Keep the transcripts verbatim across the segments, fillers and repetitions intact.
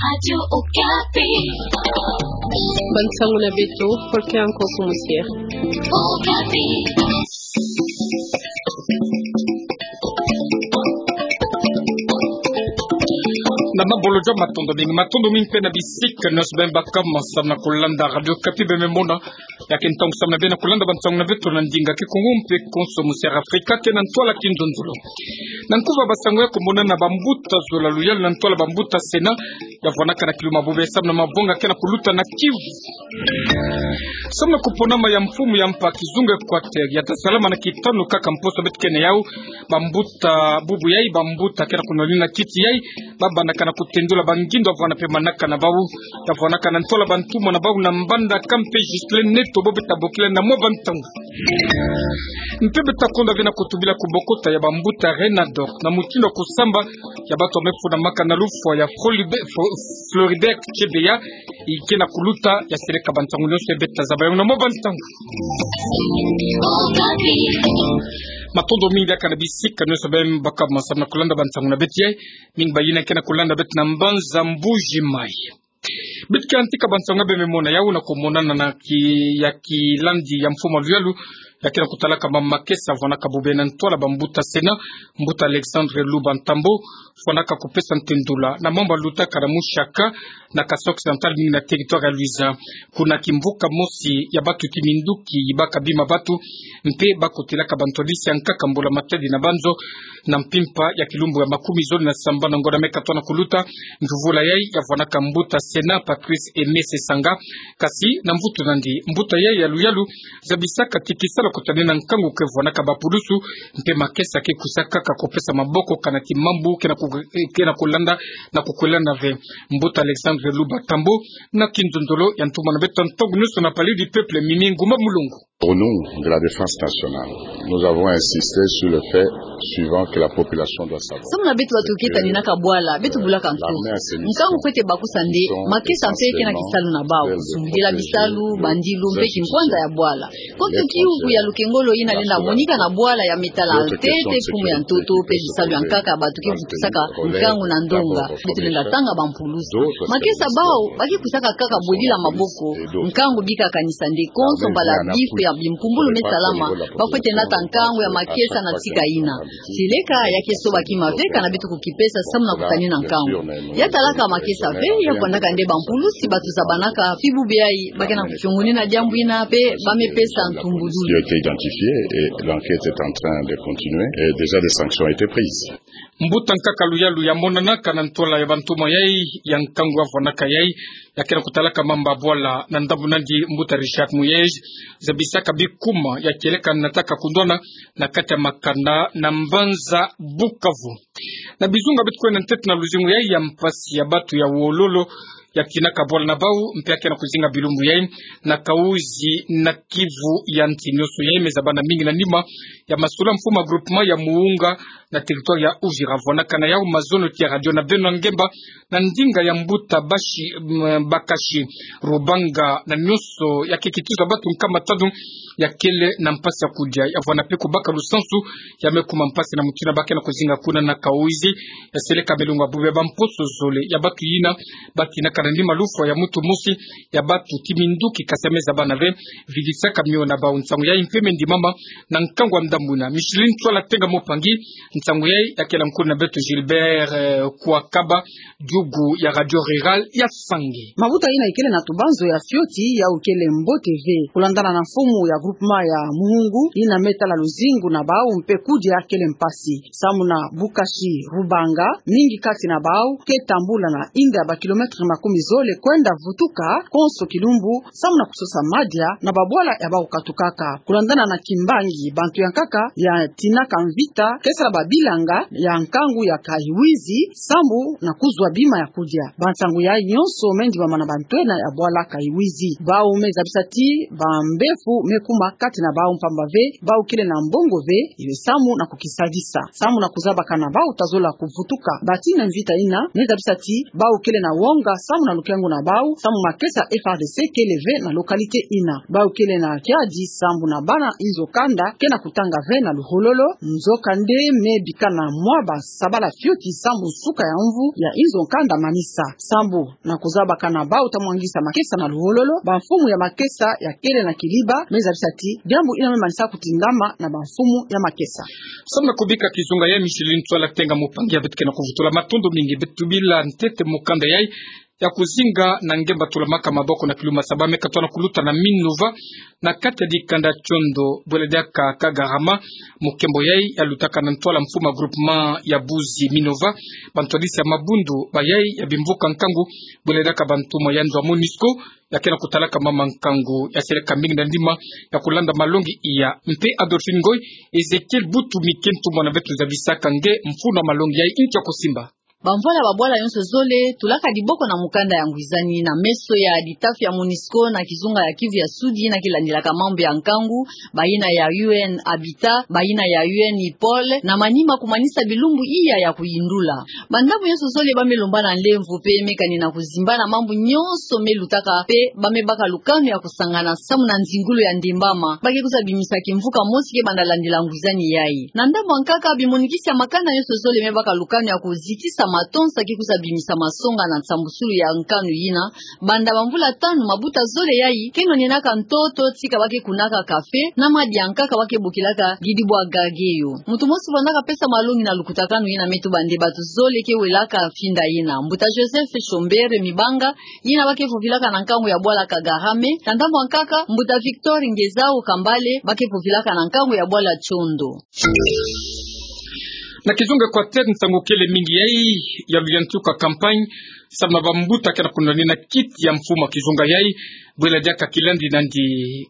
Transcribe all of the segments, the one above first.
Radio Okapi. Bansangu na beto, Volker Nkoko Musier. Okapi. Na mabolo jo matondo mingi, matondo mingi mpe na bisika nyonso beno baka ma samu na kulanda Radio Okapi, beno me mona ya ke ntangu samu na beno kulanda bansangu na beto na ndinga Kikongo mpe konso mu Sierra Afrika, ke na ntwala kinzonzolo. Na nkuva bansangu ya kumonana na bambuta zola luyalu na ntwala bambuta Sena, ya vwanaka na kiluma bobie samu na mavanga ke na kuluta na Kivu. Samu na kuponama ya mfumu ya mpa kizunga Equateur, ya ta salama na kitanu kaka mposo beto ke na yau, bambuta bubu yai, bambuta ke na kunwanina kiti yai, ba bandaka na kutendula bangindo ya vwana mpe manaka na bau, ya vwanaka na ntwala bantumwa na bau na mbanda ka mpe Ghislain Neto, bo beta bokila na mwa bantangu. Mpe beta konda ve na kutubila kubokota ya bambuta Renador na mutindu ya kusamba ya batu ya me funa maka na lufwa ya Floride-, Flo-, Floribert Chebeya, i ke na kuluta, ya seleka bansangu nyonso ya beta zaba yau na mwa bantangu. Matondo mingi diaka na bisika nyonso beno baka ma samu na kulanda bansangu na beto yai, mingi bayina ke na kulanda beto na mbanza Mbuji Mayi. Beto ke yantika bansangu ya beno me mona yau na kumonana na ki-, ya kilandi ya mfumu luyalu, ya ke na kutalaka ma makesa vwanaka bobie na ntwala bambuta Sena, mbuta Alexandre Luba Ntambo, vwanaka kupesa ntendula na mambu lutaka na mushaka na Kasaï Occidental, mingi na territoire ya Luiza. Kuna kimvuka mosi ya batu kiminduki yibaka bima batu, mpe ba kotelaka bantu ya bisi ya nkaka mbula matadi na banzo, na mpimpa ya kilumbu ya makumi zole na sambanu na ngonda me katwa na kuluta, mvuvula yai ya vwanaka mbuta Sena Patrice Aimé Sesanga. Kasi na mvutu na ndi, mbuta yai ya luyalu zabisaka ti kisala kutanina nkangu ke vwanaka bapulusu, mpe makesa ke kwisaka kaka kupesa maboko kana ti mambu ke na ku-, ke na kulanda na kukwelana ve. Mbuta Alexandre Luba Ntambo na kinzonzolo ya ntumwa na beto ntangu nyonso na Palais du Peuple, Mimi Ngumba Mulongo. Au nom de la défense nationale, nous avons insisté sur le fait suivant que la population doit savoir. Samu na beto batu ke taninaka bwala, beto bulaka ntu. Nkangu kwete bakusa nde makesa mpe ke na kisalu na bau. Sungidila bisalu, bandilu mpe kinkwanza ya bwala. Konso kiuvu ya lukengolo yina lenda monika na bwala ya me tala ntete, mfumu ya ntoto, mpe bisalu ya nkaka batu ke vutusaka nkangu na ndonga. Beto lenda tanga bampulusu. Makesa bau, ba ke kwisaka kaka bwedila maboko. Nkangu bika kanisa nde konso mbala bifu ya bimpumbulu me salama, ba kwete nata nkangu ya makesa na tika yina. Seleka ya ke soba kima ve kana beto kukipesa samu na kutanina nkangu. Ya talaka makesa ve, ya vwandaka nde bampulusi batu zabanaka, pi bubia i, ba ke na kuchungunina diambu yina, mpe ba me pesa ntumbudulu. Qui a été identifié et l'enquête est en train de continuer et déjà des sanctions ont été prises. Mbuta nkaka luyalu ya monanaka na ntwala ya bantumwa yai ya nkangu ya vwanaka yai, ya ke na kutalaka mambu ya bwala na ndambu na ndi, mbuta Richard Muyej, zabisaka bikuma ya kieleka nataka kundwana na kati ya makanda na mbanza Bukavu. Na bizunga beto kwenda ntete na luzingu yai ya mpasi ya batu ya wololo, ya tinaka bwala na bau, mpe ya ke na kuzinga bilumbu yai na Kahuzi na Kivu ya nti. Nyonso yai me zabana mingi na nima ya masolo ya mfumu ya groupement ya Muhunga na territoire ya Uvira. Vwanaka na yau mazono ti ya radio na beno ngemba na ndinga ya mbuta Bashi, mm, Bakashi Rubanga, na nyonso ya ke kituza batu nkama tanu ya kele na mpasi ya kudia. Ya vwana mpe kubaka lusansu ya me kuma mpasi na mutindu ba ke na kuzinga kuna na Kahuzi, ya seleka milongo ya bubia bamposo zole ya batu yina ba tinaka na nima lufwa ya mutu mosi ya batu ti minduki, kasi ya me zabana ve, vidisaka mio na bau. Nsangu yai mpe me ndimama na nkangu ya ndambu yina. Micheline Tswala Tenga Mopangi, nsangu yai ya kela nkulu na beto Gilbert, eh, Kwakaba, diugu ya Radio Rurale ya Sange. Mabuta yina ikele na tubanzo ya fioti, yau kele mbote ve. Kulandana na mfumu ya groupement ya Muhungu, yina me tala luzingu na bau mpe kudia kele mpasi. Samu na Bakashi Rubanga, mingi kati na bau ke tambula na inda ya ba kilomètre makumi zole kwenda vutuka konso kilumbu, samu na kusosa madia na babwala ya bau katukaka. Kulandana na kimbangi, bantu ya nkaka ya tinaka mvita ke sala babilanga ya nkangu ya Kahuzi, samu na kuzwa bima ya kudia. Bansangu yai nyonso me ndimama na bantwenia ya bwala Kahuzi. Bau me zabisa ti bambefu me kuma kati na bau mpamba ve, bau kele na mbongo ve, iwe samu na kukisadisa. Samu na kuzabaka na bau ta zola kuvutuka. Bati na mvita yina, me zabisa ti bau kele na wonga samu na lukengo na bau, samu makesa F A R D C kele ve na localité yina. Bau kele na kiadi samu na bana inzo kanda ke na kutanga ve na luhololo, nzokande me bika na mwa basabala fioti sambu suka ya mvu ya inzo kanda manisa. Sambu na kuzabaka na bau ta mwangisa makesa na luwololo, bamfumu ya makesa ya kele na kiliba me zabisa ti diambu ina me manisa kutindama na bamfumu ya makesa. Samu na kubika kizunga ya Micheline Ntwala Tenga, mupangi ya beto ke na kuvutula, matondo mingi. Beto bila ntete mukanda yai ya kuzinga na nge mba tulamaka maboko na kiluma saba me katwa na kuluta na Minova, na kati ya dikanda Tiondo, bwele diaka Kagarama. Mukembo yai ya lutaka na ntwala mfuma groupement ya Buzi Minova, bantwadisi ya mabundu ba yai ya bimvuka nkangu, bwele diaka bantumwa ya nzo ya MONUSCO, ya ke na kutalaka mama nkangu ya seleka mbingi na ndima ya kulanda malongi iya. Mpe Adolphine Ngoy, Ezekiel Butu Mike, ntumwa na beto, zabisaka nge mfunu ya malongi yai. Nki ya kusimba? Bamvwala ba bwala yonso zole tulaka diboko na mukanda ya ngwizani na meso ya ditafi ya MONUSCO na kizunga ya Kivu ya Sudi, na kilandilaka mambu ya nkangu, bayina ya U N Habitat, bayina ya U N IPOL, na manima kumanisa bilumbu iya ya kuyindula. Bandambu yonso zole ba me lomba na nlemvo pe me kani na kuzimbana mambu yonso me lutaka pe ba me baka lukanu ya kusangana samu na nzingulu ya ndembama ba ke kwiza bimisa kimvuka mosi ke banda landila ngwizani yai. Na ndambu ya nkaka, bimonikisi ya makanda yonso zole me baka lukanu ya kuzitisa matonsa ke kwiza bimisa masonga na nsambusulu ya nkanu yina. Banda bamvula tanu, mabuta zole yai ke nwanenaka ntoto tika ba ke kunaka kafe, na madi ya nkaka ba ke bokilaka gidi bwa gageyo. Muntu mosi vandaka pesa malongi na lukutakanu yina me tuba nde bato zole ke welaka mfinda yina. Mbuta Joseph Chombere Mibanga, yina ba ke vovilaka na nkangu ya bwala Kagarama, na ndambu ya nkaka, mbuta Victor Ngezao Kambale, ba ke vovilaka na nkangu ya bwala Tiondo. Na kizunga Equateur, nsangu kele mingi yai ya luyantika campagne samu na bambuta ke na kunwanina kiti ya mfumu ya kizunga yai, bwele diaka kilandi nandi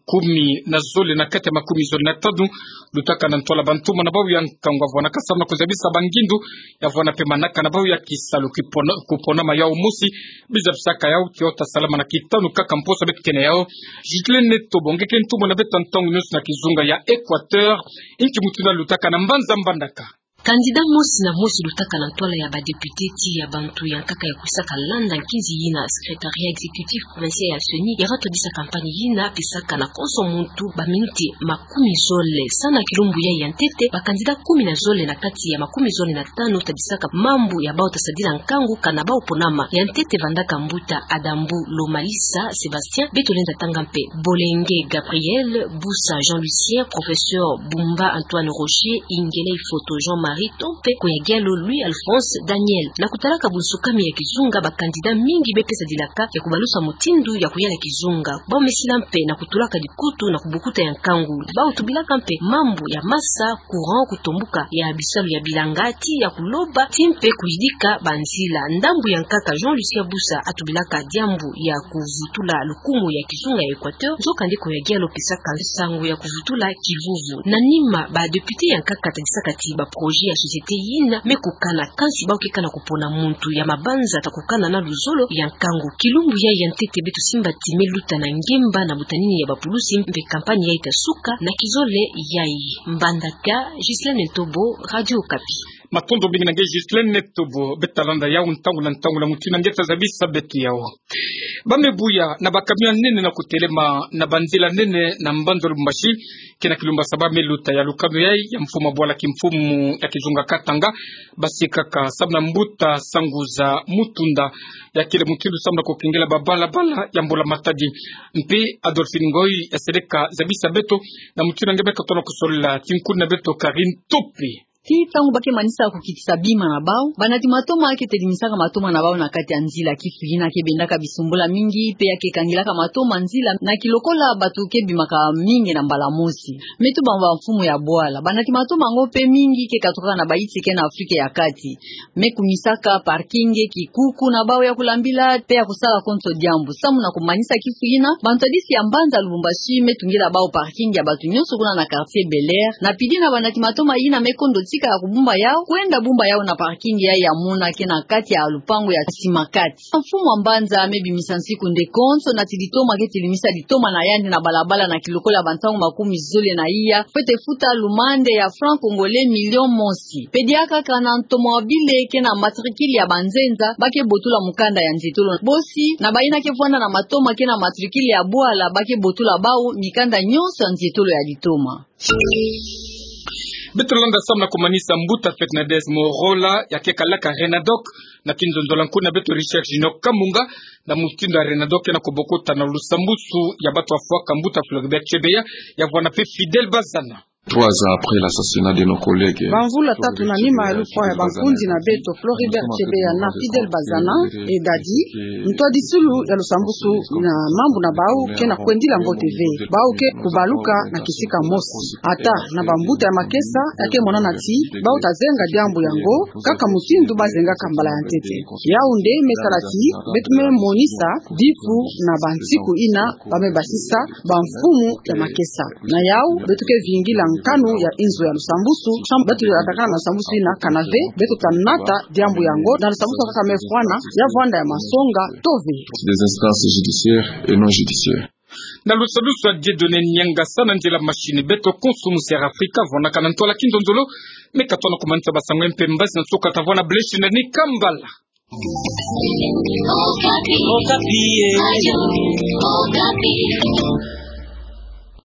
kumi na zole na kati ya makumi zole na tanu, lutaka na ntwala bantumwa na bau ya nkangu ya vwanaka samu na kuzabisa bangindu, ya vwana pe manaka na bau ya kisalu kipona, kupona ma yau mosi, bizabisaka yau ki ota salama na kitanu kaka mposo beto ke na yau. Ghislaine Netobo, nge ke ntumwa na beto ntangu nyonso na kizunga ya Equateur, nki mutindu lutaka na mbanza mbandaka? Candidat mosi na mosi lutaka na ntwala ya badepute ti ya bantu ya nkaka ya kwisaka landa nkinzi yina Secrétariat Exécutif Provincial ya CENI ya va twadisa campagne yina, pesaka na konso muntu baminiti makumi zole. Samu na kilumbu yai ya ntete, ba candidat kumi na zole na kati ya makumi zole na tanu tadisaka mambu ya bau ta sadila nkangu kana bau ponama. Ya ntete vandaka mbuta Adambu Lomalisa Sébastien, beto lenda tanga mpe Bolenge Gabriel, Busa Jean-Lucien, professeur Bumba Antoine Roger, Ingelei Foto Jean-Marie, to mpe Koyagialo Louis-Alphonse Daniel. Na kutalaka bunsukami ya kizunga, ba candidat mingi me pesa dilaka ya kubalusa mutindu ya kuyala kizunga. Bau me sila mpe na kutulaka dikutu na kubukuta ya nkangu. Bau tubilaka mpe mambu ya masa, courant, kutombuka ya bisalu ya bilanga, ti ya kuloba, ti mpe kuyidika banzila. Ndambu ya nkaka, Jean-Lucien Busa atubilaka diambu ya kuvutula lukumu ya kizunga ya Equateur, nzokande Koyagialo pesaka nsangu ya kuvutula kivuvu. Na nima, badepute ya nkaka tadisaka ti baprojet ya société yina me kukana, kansi bau ke kana kupona muntu ya mabanza ta kukana na luzolo ya nkangu. Kilumbu yai ya ntete beto simba ti me luta na ngemba na butanini ya bapulusi, mpe campagne yai ta suka na kizole yai. Mbandaka, Ghislaine Ntobo, Radio Okapi. Matondo mingi na nge Ghislaine Ntobo. Beto ta landa yau ntangu na ntangu na mutindu nge ta zabisa beto yau. Ba me buya na bacamion ya nene na kutelema na banzila nene na mbanza Lubumbashi, ke na kilumbu ya saba me luta. Ya lukanu yai ya mfumu ya bwala kimfumu ya kizunga Katanga, basikaka samu na mbuta Sanguza Mutunda, ya kele mutindu samu na kukengela babalabala ya mbula-matadi. Mpe Adolphine Ngoy ya seleka zabisa beto na mutindu nge beka tona kusolila tinkuni na beto Karine Tope. Ti ntangu ba ke manisa kukitisa bima na bau, banati matoma ke telimisaka matoma na bau na kati ya nzila. Kifu yina ke bendaka bisumbula mingi, mpe ya ke kangilaka matoma nzila, na kilokola bato ke bimaka mingi na mbala mosi. Me tuba bamfumu ya bwala, banati matoma yango mpe mingi ke katukaka na baiti ke na Afrika ya Kati. Me kumisaka parking, kikuku na bau ya kulambila, mpe ya kusala konso diambu. Samu na kumanisa kifu yina, bantwadisi ya mbanza Lubumbashi me tungila bau parking ya bato nyonso kuna na quartier Bel Air. Na pili na banati matoma yina me kondo tika ya kubumba yau, kwenda bumba yau na parking yai ya mona ke na kati ya lupangu ya Simakati. Mfumu ya mbanza me bimisa nsiku nde konso nati litoma ke telimisa litoma na yandi na balabala na kilokola bantangu makumi zole na iya, fwete futa lumande ya franc congolais million mosi. Mpe diaka kaka na ntomo ya bile ke na matricule ya banzenza, ba ke botula mukanda ya nzietolo. Bosi, na bayina ke vwanda na matoma ke na matricule ya bwala, ba ke botula bau mikanda nyonso ya nzietolo ya litoma. Beto landa samu na kumanisa mbuta Fernandes Morola, ya ke kalaka Renadoc, na kinzonzolo ya nkuna beto Richard Junior Kamunga, na mutindu ya Renadoc ke na kobokota na lusambusu ya bato afwaka mbuta Floribert Chebeya, ya vwanda pe Fidèle Bazana. Trois ans après l'assassinat de nos collègues. Bamvula tatu na nima ya lufwa ya bankundi na beto Floribert Chebeya na Fidèle Bazana, edadi, ntwadisilu ya lusambusu na mambu na bau ke na kwendila mbote ve. Bau ke kubaluka na kisika mosi. Ata na bambuta ya makesa, ya ke monana ti bau ta zenga diambu yango kaka mutindu bazengaka mbala ya ntete. Yau nde me sala ti beto me monisa difu na bansiku yina ba me basisa bamfumu ya makesa. Na yau, beto ke vingila nkanu ya inzo ya lusambusu, samu beto ya dakana na lusambusu yina kana ve beto ta nata diambu yango, na lusambusu kaka me fwana, ya vwanda ya masonga to ve. Des instances judiciaires et non judiciaires. Na lusambusu ya Dieudonné Niangasa na nzila machine, beto konso musi ya Afrika vwanakana ntwala kinzonzolo. Me katono kumanisa basango mpe mbazi na nsuka ta vwanda, blessing na ni kambala. Okapi. Okapi, eh.